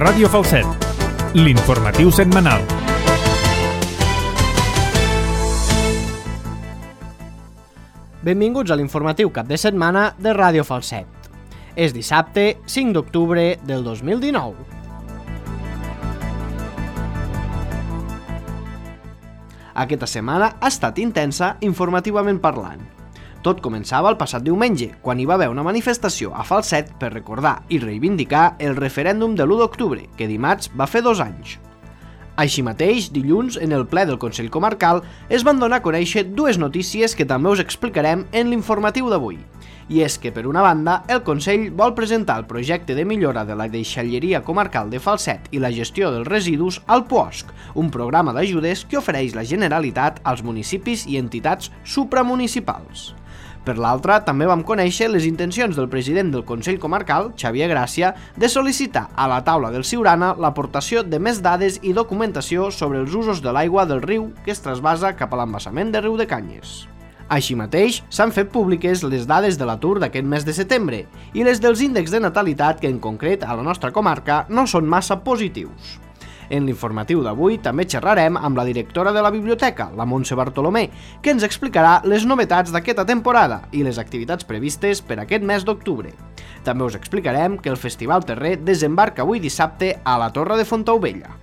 Ràdio Falset, l'informatiu setmanal. Benvinguts a l'informatiu cap de setmana de Ràdio Falset. És dissabte 5 d'octubre del 2019. Aquesta setmana ha estat intensa informativament parlant. Tot començava el passat diumenge, quan hi va haver una manifestació a Falset per recordar i reivindicar el referèndum de l'1 d'octubre, que dimarts va fer 2 anys. Així mateix, dilluns, en el ple del Consell Comarcal, es van donar a conèixer dues notícies que també us explicarem en l'informatiu d'avui. I és que, per una banda, el Consell vol presentar el projecte de millora de la deixalleria comarcal de Falset i la gestió dels residus al POSC, un programa d'ajudes que ofereix la Generalitat als municipis i entitats supramunicipals. Per l'altra, també vam conèixer les intencions del president del Consell Comarcal, Xavier Gràcia, de sol·licitar a la taula del Siurana l'aportació de més dades i documentació sobre els usos de l'aigua del riu que es trasbasa cap a l'embassament de Riudecanyes. Així mateix, s'han fet públiques les dades de l'atur d'aquest mes de setembre i les dels índexs de natalitat que, en concret, a la nostra comarca no són massa positius. En l'informatiu d'avui també xerrarem amb la directora de la biblioteca, la Montse Bartolomé, que ens explicarà les novetats d'aquesta temporada i les activitats previstes per aquest mes d'octubre. També us explicarem que el Festival Terrer desembarca avui dissabte a la Torre de Fontaubella.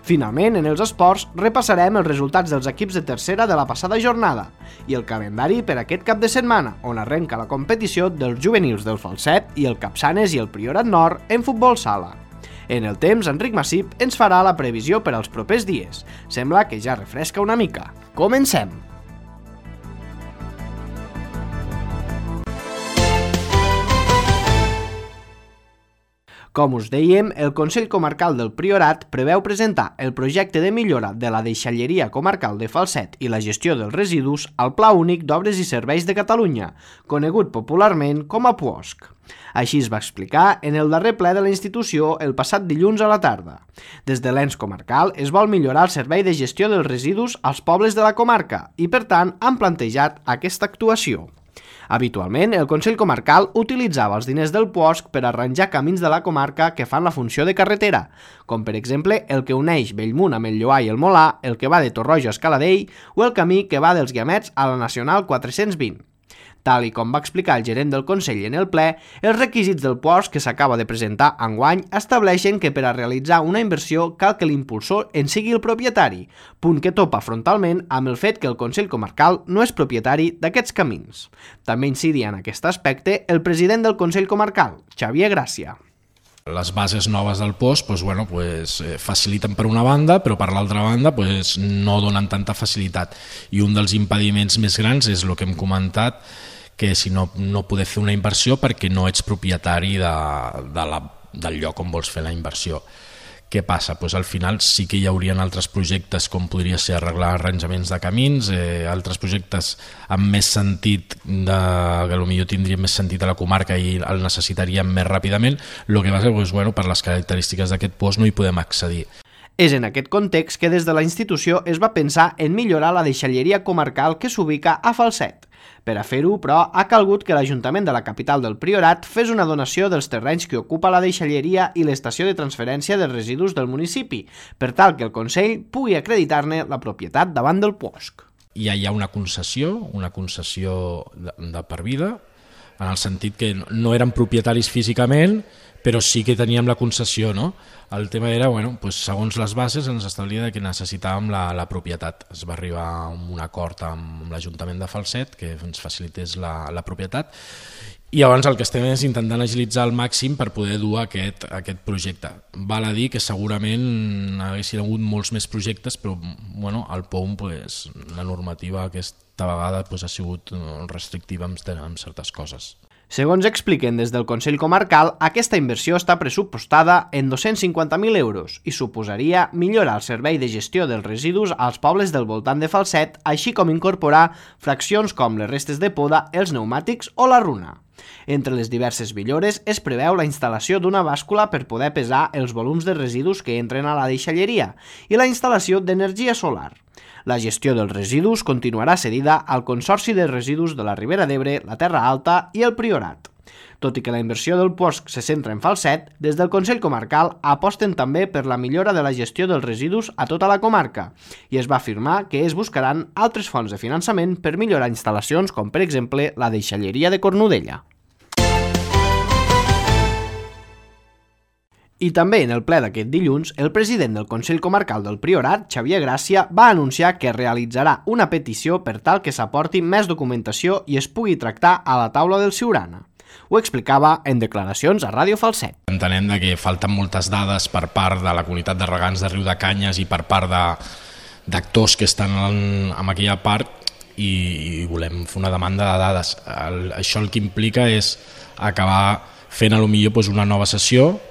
Finalment, en els esports, repassarem els resultats dels equips de tercera de la passada jornada i el calendari per aquest cap de setmana, on arrenca la competició dels juvenils del Falset i el Capçanes i el Priorat Nord en futbol sala. En el temps, Enric Massip ens farà la previsió per als propers dies. Sembla que ja refresca una mica. Comencem! Com us dèiem, el Consell Comarcal del Priorat preveu presentar el projecte de millora de la deixalleria comarcal de Falset i la gestió dels residus al Pla Únic d'Obres i Serveis de Catalunya, conegut popularment com a POSC. Així es va explicar en el darrer ple de la institució el passat dilluns a la tarda. Des de l'ens comarcal es vol millorar el servei de gestió dels residus als pobles de la comarca i, per tant, han plantejat aquesta actuació. Habitualment, el Consell Comarcal utilitzava els diners del POSC per arranjar camins de la comarca que fan la funció de carretera, com per exemple el que uneix Bellmunt amb el Lloar i el Molar, el que va de Torroja a Escaladell o el camí que va dels Guiamets a la Nacional 420. Tal i com va explicar el gerent del Consell en el ple, els requisits del POSC que s'acaba de presentar enguany estableixen que per a realitzar una inversió cal que l'impulsor en sigui el propietari, punt que topa frontalment amb el fet que el Consell Comarcal no és propietari d'aquests camins. També incidia en aquest aspecte el president del Consell Comarcal, Xavier Gràcia. Les bases noves del POSC faciliten per una banda, però per l'altra banda no donen tanta facilitat. I un dels impediments més grans és el que hem comentat, que si no poder fer una inversió perquè no ets propietari del lloc on vols fer la inversió. Què passa? Al final sí que hi haurien altres projectes com podria ser arreglar arranjaments de camins, altres projectes amb més sentit, que potser tindrien més sentit a la comarca i el necessitaríem més ràpidament. El que passa és que per les característiques d'aquest POSC no hi podem accedir. És en aquest context que des de la institució es va pensar en millorar la deixalleria comarcal que s'ubica a Falset. Per a fer-ho, però, ha calgut que l'Ajuntament de la capital del Priorat fes una donació dels terrenys que ocupa la deixalleria i l'estació de transferència de residus del municipi, per tal que el Consell pugui acreditar-ne la propietat davant del POSC. Hi ha una concessió de per vida, en el sentit que no eren propietaris físicament, però sí que teníem la concessió, no? El tema era, segons les bases ens establia que necessitàvem la propietat. Es va arribar a un acord amb l'Ajuntament de Falset que ens facilités la propietat i llavors el que estem és intentant agilitzar al màxim per poder dur aquest projecte. Val a dir que segurament haguessin hagut molts més projectes, però al POUM la normativa aquesta vegada ha sigut restrictiva amb certes coses. Segons expliquen des del Consell Comarcal, aquesta inversió està pressupostada en 250.000 euros i suposaria millorar el servei de gestió dels residus als pobles del voltant de Falset, així com incorporar fraccions com les restes de poda, els pneumàtics o la runa. Entre les diverses millores es preveu la instal·lació d'una bàscula per poder pesar els volums de residus que entren a la deixalleria i la instal·lació d'energia solar. La gestió dels residus continuarà cedida al Consorci de Residus de la Ribera d'Ebre, la Terra Alta i el Priorat. Tot i que la inversió del POSC se centra en Falset, des del Consell Comarcal aposten també per la millora de la gestió dels residus a tota la comarca i es va afirmar que es buscaran altres fonts de finançament per millorar instal·lacions com, per exemple, la deixalleria de Cornudella. I també en el ple d'aquest dilluns, el president del Consell Comarcal del Priorat, Xavier Gràcia, va anunciar que realitzarà una petició per tal que s'aporti més documentació i es pugui tractar a la taula del Siurana. Ho explicava en declaracions a Ràdio Falset. Entenem que falten moltes dades per part de la comunitat de regants de Riudecanyes i per part d'actors que estan en aquella part i volem fer una demanda de dades. Això el que implica és acabar fent potser una nova sessió.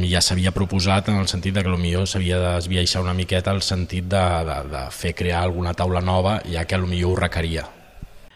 Ja s'havia proposat en el sentit que potser s'havia d'esbiaixar una miqueta el sentit de fer crear alguna taula nova, ja que potser ho requeria.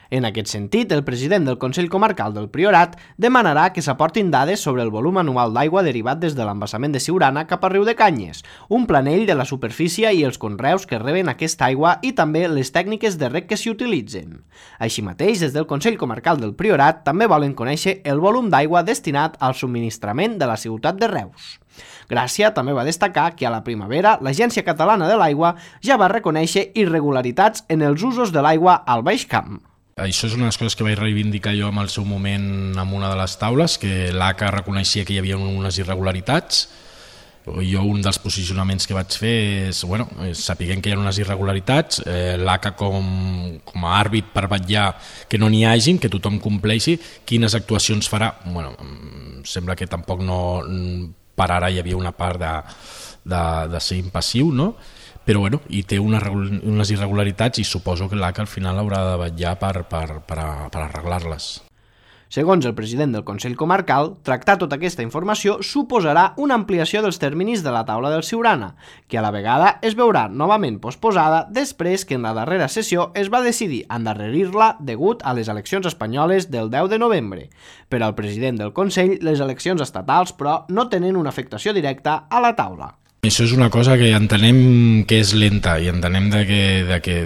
En aquest sentit, el president del Consell Comarcal del Priorat demanarà que s'aportin dades sobre el volum anual d'aigua derivat des de l'embassament de Siurana cap a Riudecanyes, un planell de la superfície i els conreus que reben aquesta aigua i també les tècniques de reg que s'hi utilitzen. Així mateix, des del Consell Comarcal del Priorat també volen conèixer el volum d'aigua destinat al subministrament de la ciutat de Reus. Gràcia també va destacar que a la primavera l'Agència Catalana de l'Aigua ja va reconèixer irregularitats en els usos de l'aigua al Baix Camp. Això és una de les coses que vaig reivindicar jo en el seu moment en una de les taules, que l'ACA reconeixia que hi havia unes irregularitats. Jo un dels posicionaments que vaig fer és, sapiguem que hi ha unes irregularitats, l'ACA com a àrbit per vetllar que no n'hi hagin, que tothom compleixi, quines actuacions farà. Sembla que tampoc no, per ara hi havia una part de ser impassiu, no? Però hi té unes irregularitats i suposo que l'ACA al final haurà de vetllar per arreglar-les. Segons el president del Consell Comarcal, tractar tota aquesta informació suposarà una ampliació dels terminis de la taula del Siurana, que a la vegada es veurà novament posposada després que en la darrera sessió es va decidir endarrerir-la degut a les eleccions espanyoles del 10 de novembre. Per al president del Consell, les eleccions estatals, però, no tenen una afectació directa a la taula. Això és una cosa que entenem que és lenta i entenem que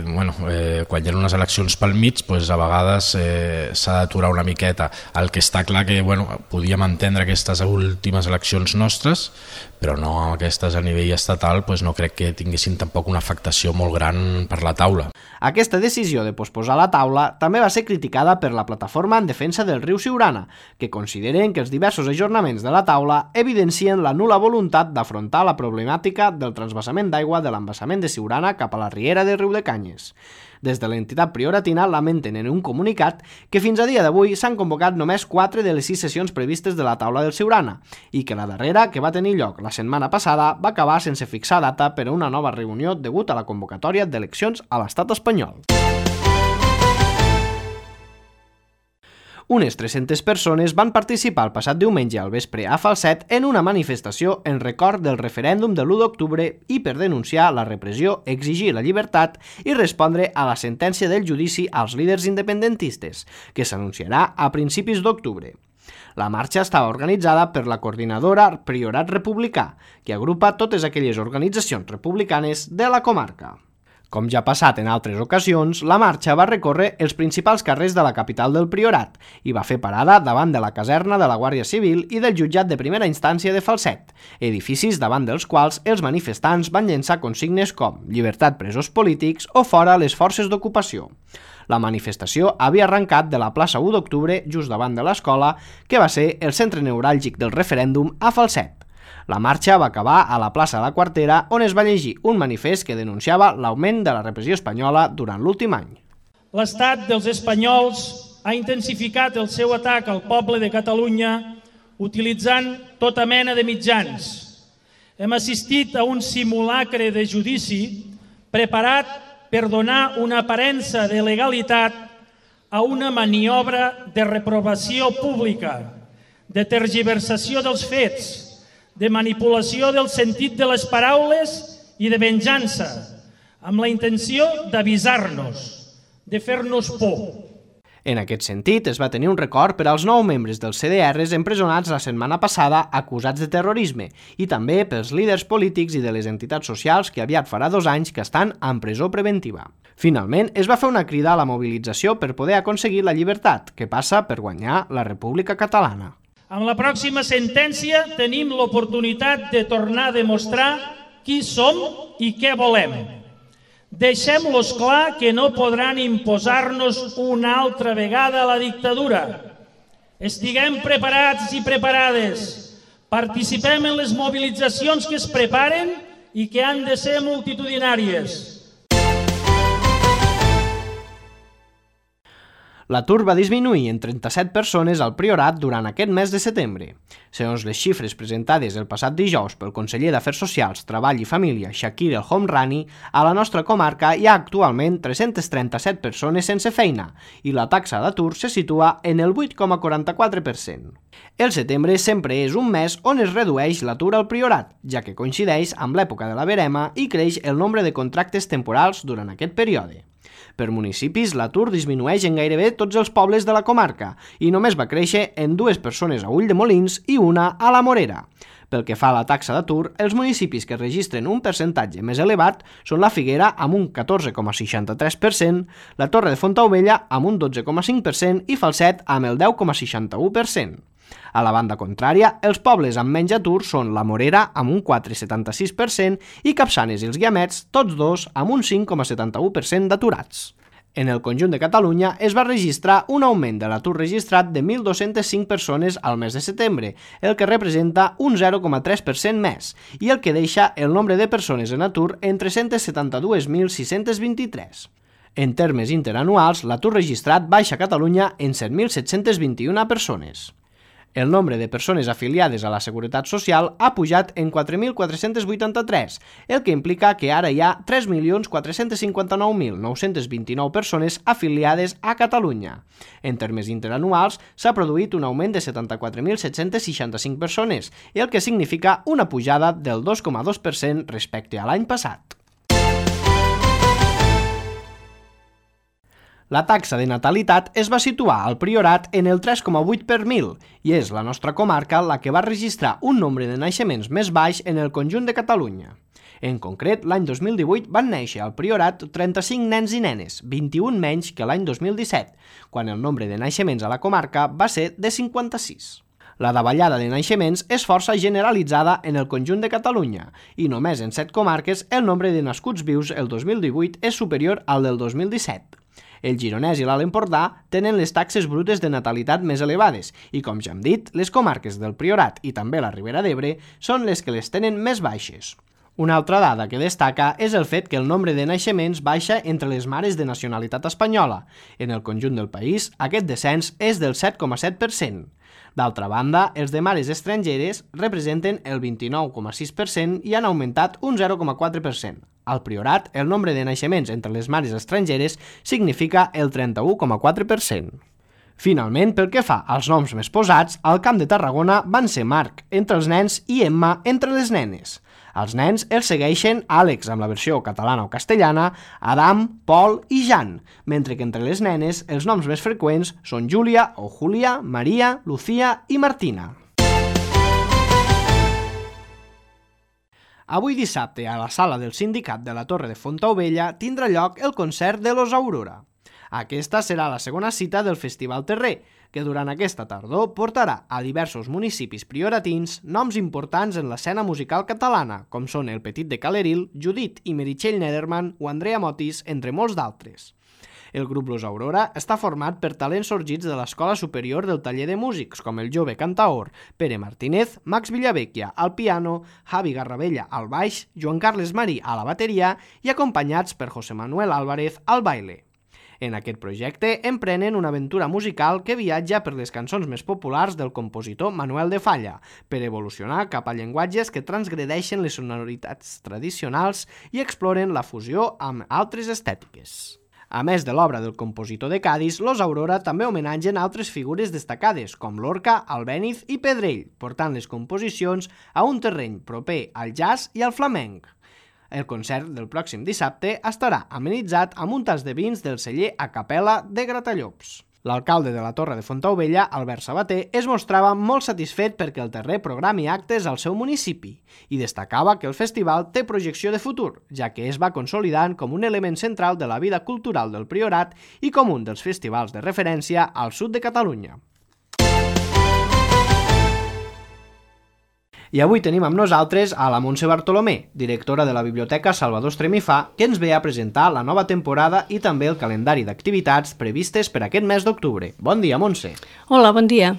quan hi ha unes eleccions pel mig, a vegades s'ha d'aturar una miqueta. El que està clar que podíem entendre aquestes últimes eleccions nostres, però no aquestes a nivell estatal, no crec que tinguessin tampoc una afectació molt gran per la taula. Aquesta decisió de posposar la taula també va ser criticada per la plataforma en defensa del riu Siurana, que consideren que els diversos ajornaments de la taula evidencien la nul·la voluntat d'afrontar la problemàtica del transvasament d'aigua de l'embassament de Siurana cap a la riera de Riudecanyes. Des de l'entitat prioratina lamenten en un comunicat que fins a dia d'avui s'han convocat només 4 de les 6 sessions previstes de la taula del Siurana i que la darrera, que va tenir lloc la setmana passada, va acabar sense fixar data per a una nova reunió degut a la convocatòria d'eleccions a l'estat espanyol. Unes 300 persones van participar el passat diumenge al vespre a Falset en una manifestació en record del referèndum de l'1 d'octubre i per denunciar la repressió, exigir la llibertat i respondre a la sentència del judici als líders independentistes, que s'anunciarà a principis d'octubre. La marxa estava organitzada per la coordinadora Priorat Republicà, que agrupa totes aquelles organitzacions republicanes de la comarca. Com ja ha passat en altres ocasions, la marxa va recórrer els principals carrers de la capital del Priorat i va fer parada davant de la caserna de la Guàrdia Civil i del jutjat de primera instància de Falset, edificis davant dels quals els manifestants van llençar consignes com llibertat presos polítics o fora les forces d'ocupació. La manifestació havia arrencat de la plaça 1 d'octubre, just davant de l'escola, que va ser el centre neuràlgic del referèndum a Falset. La marxa va acabar a la plaça de la Quartera, on es va llegir un manifest que denunciava l'augment de la repressió espanyola durant l'últim any. L'estat dels espanyols ha intensificat el seu atac al poble de Catalunya utilitzant tota mena de mitjans. Hem assistit a un simulacre de judici preparat per donar una aparença de legalitat a una maniobra de reprovació pública, de tergiversació dels fets, de manipulació del sentit de les paraules i de venjança, amb la intenció d'avisar-nos, de fer-nos por. En aquest sentit, es va tenir un record per als 9 membres dels CDRs empresonats la setmana passada acusats de terrorisme i també pels líders polítics i de les entitats socials que aviat farà 2 anys que estan en presó preventiva. Finalment, es va fer una crida a la mobilització per poder aconseguir la llibertat, que passa per guanyar la República Catalana. Amb la pròxima sentència tenim l'oportunitat de tornar a demostrar qui som i què volem. Deixem-los clar que no podran imposar-nos una altra vegada la dictadura. Estiguem preparats i preparades. Participem en les mobilitzacions que es preparen i que han de ser multitudinàries. L'atur va disminuir en 37 persones al Priorat durant aquest mes de setembre. Segons les xifres presentades el passat dijous pel conseller d'Afers Socials, Treball i Família, Shakir El Homrani, a la nostra comarca hi ha actualment 337 persones sense feina i la taxa d'atur se situa en el 8,44%. El setembre sempre és un mes on es redueix l'atur al Priorat, ja que coincideix amb l'època de la verema i creix el nombre de contractes temporals durant aquest període. Per municipis, l'atur disminueix en gairebé tots els pobles de la comarca i només va créixer en 2 persones a Ulldemolins i una a la Morera. Pel que fa a la taxa d'atur, els municipis que registren un percentatge més elevat són la Figuera amb un 14,63%, la Torre de Fontaubella amb un 12,5% i Falset amb el 10,61%. A la banda contrària, els pobles amb menys atur són la Morera amb un 4,76% i Capçanes i els Guiamets, tots dos amb un 5,71% d'aturats. En el conjunt de Catalunya es va registrar un augment de l'atur registrat de 1.205 persones al mes de setembre, el que representa un 0,3% més, i el que deixa el nombre de persones en atur en 372.623. En termes interanuals, l'atur registrat baixa a Catalunya en 7.721 persones. El nombre de persones afiliades a la Seguretat Social ha pujat en 4.483, el que implica que ara hi ha 3.459.929 persones afiliades a Catalunya. En termes interanuals, s'ha produït un augment de 74.765 persones, el que significa una pujada del 2,2% respecte a l'any passat. La taxa de natalitat es va situar al Priorat en el 3,8 per 1.000 i és la nostra comarca la que va registrar un nombre de naixements més baix en el conjunt de Catalunya. En concret, l'any 2018 van néixer al Priorat 35 nens i nenes, 21 menys que l'any 2017, quan el nombre de naixements a la comarca va ser de 56. La davallada de naixements és força generalitzada en el conjunt de Catalunya i només en 7 comarques el nombre de nascuts vius el 2018 és superior al del 2017. El Gironès i l'Alt Empordà tenen les taxes brutes de natalitat més elevades i, com ja hem dit, les comarques del Priorat i també la Ribera d'Ebre són les que les tenen més baixes. Una altra dada que destaca és el fet que el nombre de naixements baixa entre les mares de nacionalitat espanyola. En el conjunt del país, aquest descens és del 7,7%. D'altra banda, els de mares estrangeres representen el 29,6% i han augmentat un 0,4%. Al Priorat, el nombre de naixements entre les mares estrangeres significa el 31,4%. Finalment, pel que fa als noms més posats, al Camp de Tarragona van ser Marc entre els nens i Emma entre les nenes. Els nens els segueixen Àlex amb la versió catalana o castellana, Adam, Pol i Jan, mentre que entre les nenes els noms més freqüents són Júlia o Júlia, Maria, Lucía i Martina. Avui dissabte, a la sala del Sindicat de la Torre de Fontaubella, tindrà lloc el concert de Los Aurora. Aquesta serà la segona cita del Festival Terrer, que durant aquesta tardor portarà a diversos municipis prioratins noms importants en l'escena musical catalana, com són el Petit de Caleril, Judit i Meritxell Nederman o Andrea Motis, entre molts d'altres. El grup Los Aurora està format per talents sorgits de l'Escola Superior del Taller de Músics, com el jove cantaor Pere Martínez, Max Villavecchia al piano, Javi Garravella al baix, Joan Carles Marí a la bateria i acompanyats per José Manuel Álvarez al baile. En aquest projecte emprenen una aventura musical que viatja per les cançons més populars del compositor Manuel de Falla, per evolucionar cap a llenguatges que transgredeixen les sonoritats tradicionals i exploren la fusió amb altres estètiques. A més de l'obra del compositor de Cadis, Los Aurora també homenatgen altres figures destacades, com Lorca, Albéniz i Pedrell, portant les composicions a un terreny proper al jazz i al flamenc. El concert del pròxim dissabte estarà amenitzat amb un tas de vins del celler A Capella de Gratallops. L'alcalde de la Torre de Fontaubella, Albert Sabater, es mostrava molt satisfet perquè el Terrer programi actes al seu municipi i destacava que el festival té projecció de futur, ja que es va consolidant com un element central de la vida cultural del Priorat i com un dels festivals de referència al sud de Catalunya. I avui tenim amb nosaltres a la Montse Bartolomé, directora de la Biblioteca Salvador Estremifà, que ens ve a presentar la nova temporada i també el calendari d'activitats previstes per aquest mes d'octubre. Bon dia, Montse. Hola, bon dia.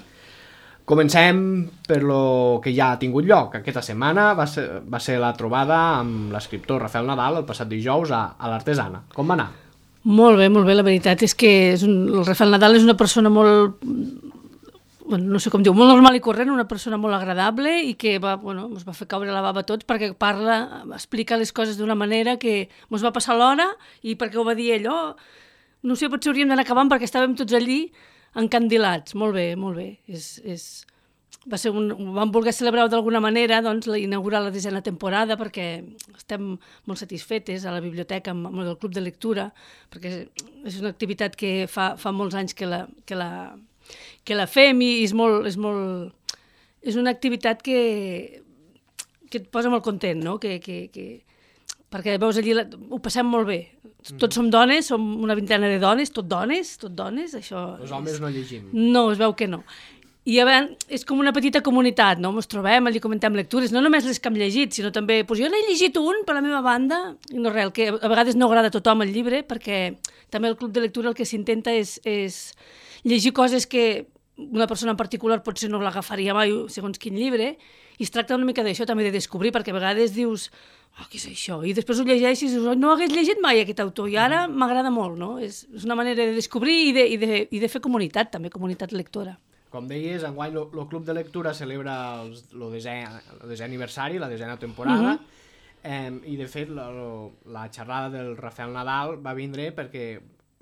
Comencem per lo que ja ha tingut lloc. Aquesta setmana va ser la trobada amb l'escriptor Rafael Nadal el passat dijous a l'Artesana. Com va anar? Molt bé, molt bé. La veritat és que el Rafael Nadal és una persona molt... no sé com diu, molt normal i corrent, una persona molt agradable i que ens va fer caure la bava a tots perquè explica les coses d'una manera que ens va passar l'hora i perquè ho va dir ell, no sé, potser hauríem d'anar acabant perquè estàvem tots allí encandilats. Molt bé, molt bé. Vam voler celebrar d'alguna manera, doncs, inaugurar la 10a temporada perquè estem molt satisfetes a la biblioteca amb el club de lectura, perquè és una activitat que fa molts anys que la fem i és una activitat que et posa molt content, no? Perquè veus allí, ho passem molt bé. Tots som dones, som una vintena de dones, tot dones, això... Els homes no llegim. No, es veu que no. I és com una petita comunitat, no? Ens trobem, allí comentem lectures, no només les que hem llegit, sinó també, jo n'he llegit un per la meva banda, i no res, que a vegades no agrada a tothom el llibre, perquè també el club de lectura el que s'intenta és llegir coses que una persona en particular potser no l'agafaria mai segons quin llibre, i es tracta una mica d'això també de descobrir, perquè a vegades dius què és això? I després ho llegeixes i dius no hagués llegit mai aquest autor i ara m'agrada molt, no? És una manera de descobrir i de fer comunitat, també comunitat lectora. Com deies, enguany el Club de Lectura celebra el 10è aniversari, la 10a temporada, i de fet la xerrada del Rafael Nadal va vindre perquè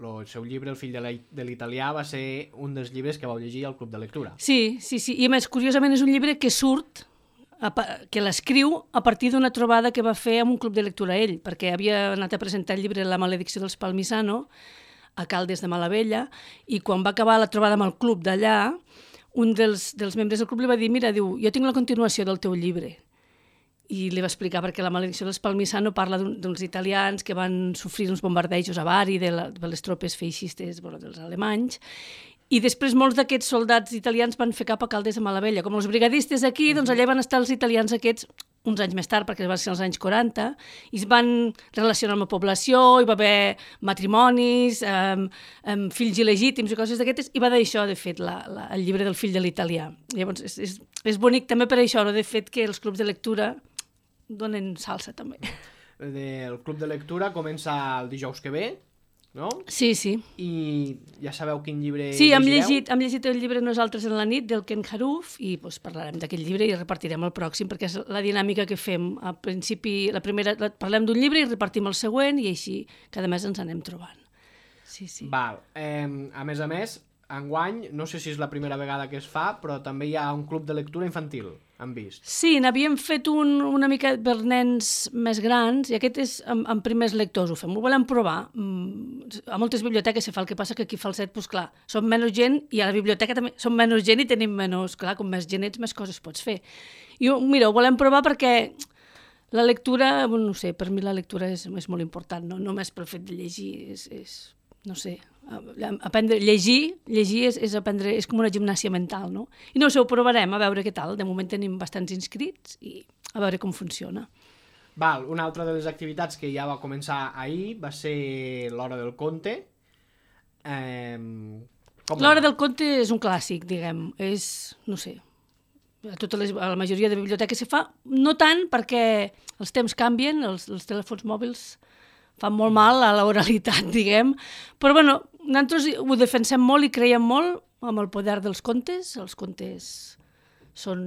el seu llibre, El fill de l'italià, va ser un dels llibres que vau llegir al Club de Lectura. Sí, i a més, curiosament, és un llibre que surt, que l'escriu a partir d'una trobada que va fer amb un club de lectura ell, perquè havia anat a presentar el llibre La maledicció dels Palmisano a Caldes de Malavella, i quan va acabar la trobada amb el club d'allà, un dels membres del club li va dir, mira, diu, jo tinc la continuació del teu llibre. I li va explicar perquè La maledicció dels Palmisano parla d'uns italians que van sofrir uns bombardejos a Bari de les tropes feixistes dels alemanys, i després molts d'aquests soldats italians van fer cap a Caldes de Malavella. Com els brigadistes aquí, doncs allà van estar els italians aquests uns anys més tard, perquè va ser als anys 40, i es van relacionar amb la població, hi va haver matrimonis, fills il·legítims i coses d'aquestes, i va d'això, de fet, el llibre del fill de l'italià. Llavors, és bonic també per això, de fet, que els clubs de lectura donen salsa, també. El club de lectura comença el dijous que ve, no? Sí. I ja sabeu quin llibre llegireu? Sí, hem llegit el llibre Nosaltres en la nit, del Ken Haruf, i parlarem d'aquest llibre i repartirem el pròxim, perquè és la dinàmica que fem. Al principi, parlem d'un llibre i repartim el següent, i així cada mes ens anem trobant. Sí. Val. A més, enguany, no sé si és la primera vegada que es fa, però també hi ha un club de lectura infantil, hem vist. Sí, n'havíem fet una mica per nens més grans, i aquest és amb primers lectors, ho fem. Ho volem provar. A moltes biblioteques se fa, el que passa que aquí a Falset, doncs clar, som menys gent, i a la biblioteca també som menys gent i tenim menys, clar, com més gent ets, més coses pots fer. I mira, ho volem provar perquè la lectura, no sé, per mi la lectura és molt important, no només pel fet de llegir, no sé, aprendre, llegir és aprendre, és com una gimnàsia mental, no? I no sé, ho provarem, a veure què tal. De moment tenim bastants inscrits i a veure com funciona. Val, una altra de les activitats que ja va començar ahir va ser l'Hora del Conte. L'Hora del Conte és un clàssic, diguem, no sé, a la majoria de biblioteques se fa, no tant perquè els temps canvien, els telèfons mòbils fan molt mal a l'oralitat, diguem, però bueno, nosaltres ho defensem molt i creiem molt amb el poder dels contes. Els contes són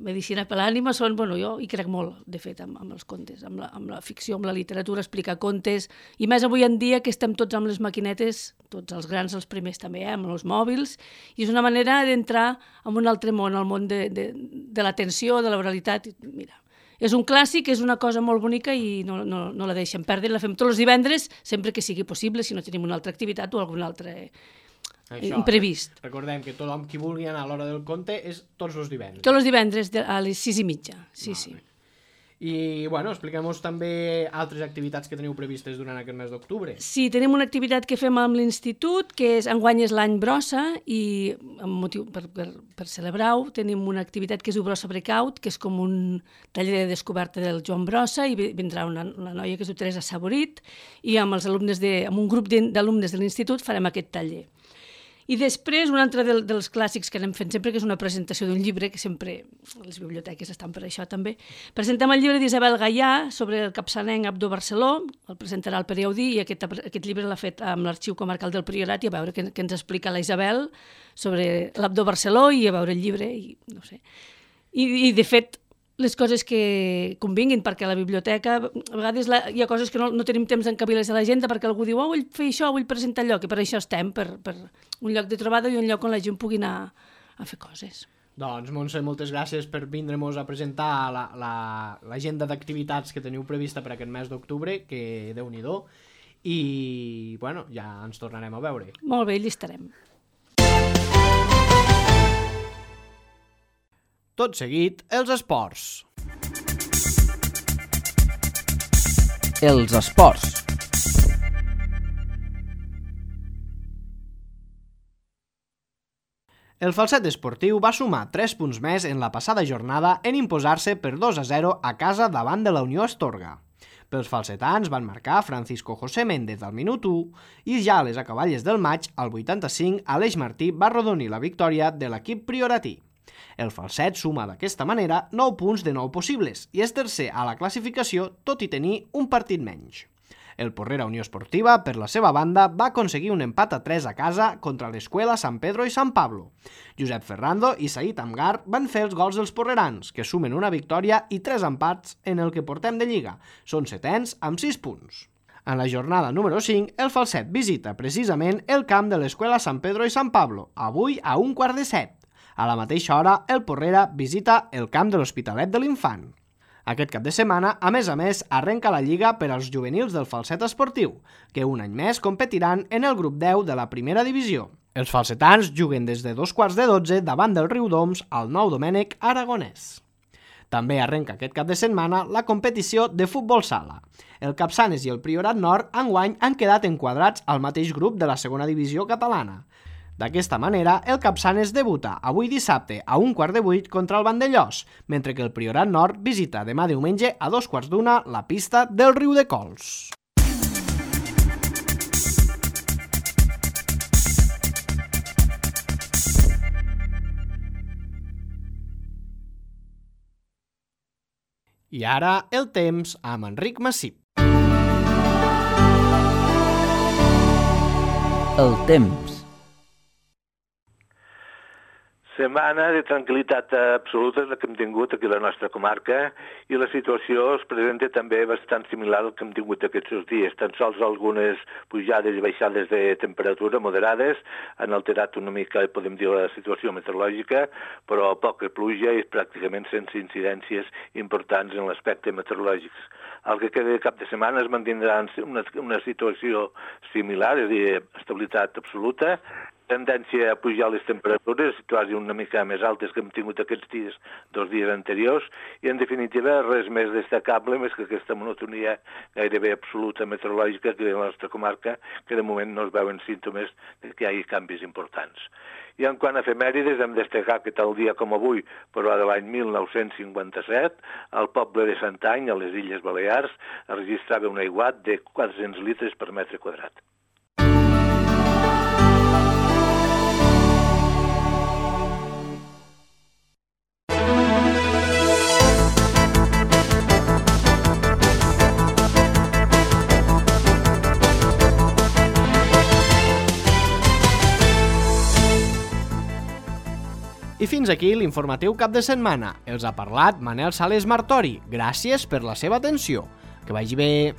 medicina per l'ànima, jo hi crec molt, de fet, amb els contes, amb la ficció, amb la literatura, explicar contes, i més avui en dia que estem tots amb les maquinetes, tots els grans, els primers també, amb els mòbils, i és una manera d'entrar en un altre món, el món de l'atenció, de l'oralitat. Mira, és un clàssic, és una cosa molt bonica i no la deixem perdre, la fem tots els divendres, sempre que sigui possible, si no tenim una altra activitat o alguna altra imprevist. Recordem que tothom qui vulgui anar a l'hora del conte és tots els divendres. Tots els divendres a les 6:30, sí. I, bueno, expliquem-nos també altres activitats que teniu previstes durant aquest mes d'octubre. Sí, tenim una activitat que fem amb l'institut, que enguany és l'any Brossa, i amb motiu per celebrar-ho tenim una activitat que es diu Brossa Breakout, que és com un taller de descoberta del Joan Brossa, i vindrà una noia que es diu Teresa Saborit, i amb un grup d'alumnes de l'institut farem aquest taller. I després, un altre dels clàssics que anem fent sempre, que és una presentació d'un llibre, que sempre les biblioteques estan per això també. Presentem el llibre d'Isabel Gaià sobre el capçalenc Abdó Barceló, el presentarà el Pere Audí, i aquest llibre l'ha fet amb l'Arxiu Comarcal del Priorat, i a veure què ens explica la Isabel sobre l'Abdó Barceló, i a veure el llibre, i no sé. I de fet, les coses que convinguin, perquè a la biblioteca a vegades hi ha coses que no tenim temps d'encabilar-les a l'agenda, perquè algú diu, vull fer això, vull presentar allò, que per això estem, per un lloc de trobada i un lloc on la gent pugui anar a fer coses. Doncs, Montse, moltes gràcies per vindre-nos a presentar l'agenda d'activitats que teniu prevista per aquest mes d'octubre, que Déu-n'hi-do, i, bueno, ja ens tornarem a veure. Molt bé, hi estarem. Tot seguit, els esports. Els esports. El Falset esportiu va sumar 3 punts més en la passada jornada en imposar-se per 2-0 a casa davant de la Unió Astorga. Pels falsetans van marcar Francisco José Méndez al minut 1 i ja a les acaballes del maig, al 85, Aleix Martí va arrodonir la victòria de l'equip prioratí. El Falset suma d'aquesta manera 9 punts de 9 possibles i és tercer a la classificació, tot i tenir un partit menys. El Porrera Unió Esportiva, per la seva banda, va aconseguir un empat a 3 a casa contra l'Escuela San Pedro i San Pablo. Josep Ferrando i Said Amgar van fer els gols dels porrerans, que sumen una victòria i 3 empats en el que portem de Lliga. Són setens amb 6 punts. En la jornada número 5, el Falset visita precisament el camp de l'Escuela San Pedro i San Pablo, avui a 1:45. A la mateixa hora, el Porrera visita el camp de l'Hospitalet de l'Infant. Aquest cap de setmana, a més, arrenca la Lliga per als juvenils del Falset esportiu, que un any més competiran en el grup 10 de la primera divisió. Els falsetans juguen des de 2:45 davant del Riudoms al Nou Domènec Aragonès. També arrenca aquest cap de setmana la competició de futbol sala. El Capçanes i el Priorat Nord enguany han quedat enquadrats al mateix grup de la segona divisió catalana. D'aquesta manera, el Capçanes debuta avui dissabte a 1:15 contra el Vandellós, mentre que el Priorat Nord visita demà diumenge a 2:15 la pista del Riudecols. I ara el temps amb Enric Massip. El temps. Setmana de tranquil·litat absoluta és la que hem tingut aquí a la nostra comarca i la situació es presenta també bastant similar al que hem tingut aquests dies. Tan sols algunes pujades i baixades de temperatura moderades han alterat una mica, podem dir, la situació meteorològica, però poca pluja i pràcticament sense incidències importants en l'aspecte meteorològic. El que queda de cap de setmana es mantindrà una situació similar, és a dir, estabilitat absoluta, tendència a pujar les temperatures, quasi una mica més altes que hem tingut aquests dies, 2 dies anteriors, i en definitiva res més destacable, més que aquesta monotonia gairebé absoluta meteorològica que en la nostra comarca, que de moment no es veuen símptomes de que hi hagi canvis importants. I en quant a efemèrides, hem destacat que tal dia com avui, però de l'any 1957, el poble de Santany, a les Illes Balears, registrava un aiguat de 400 litres per metre quadrat. I fins aquí l'informatiu cap de setmana. Els ha parlat Manel Sales Martori. Gràcies per la seva atenció. Que vagi bé.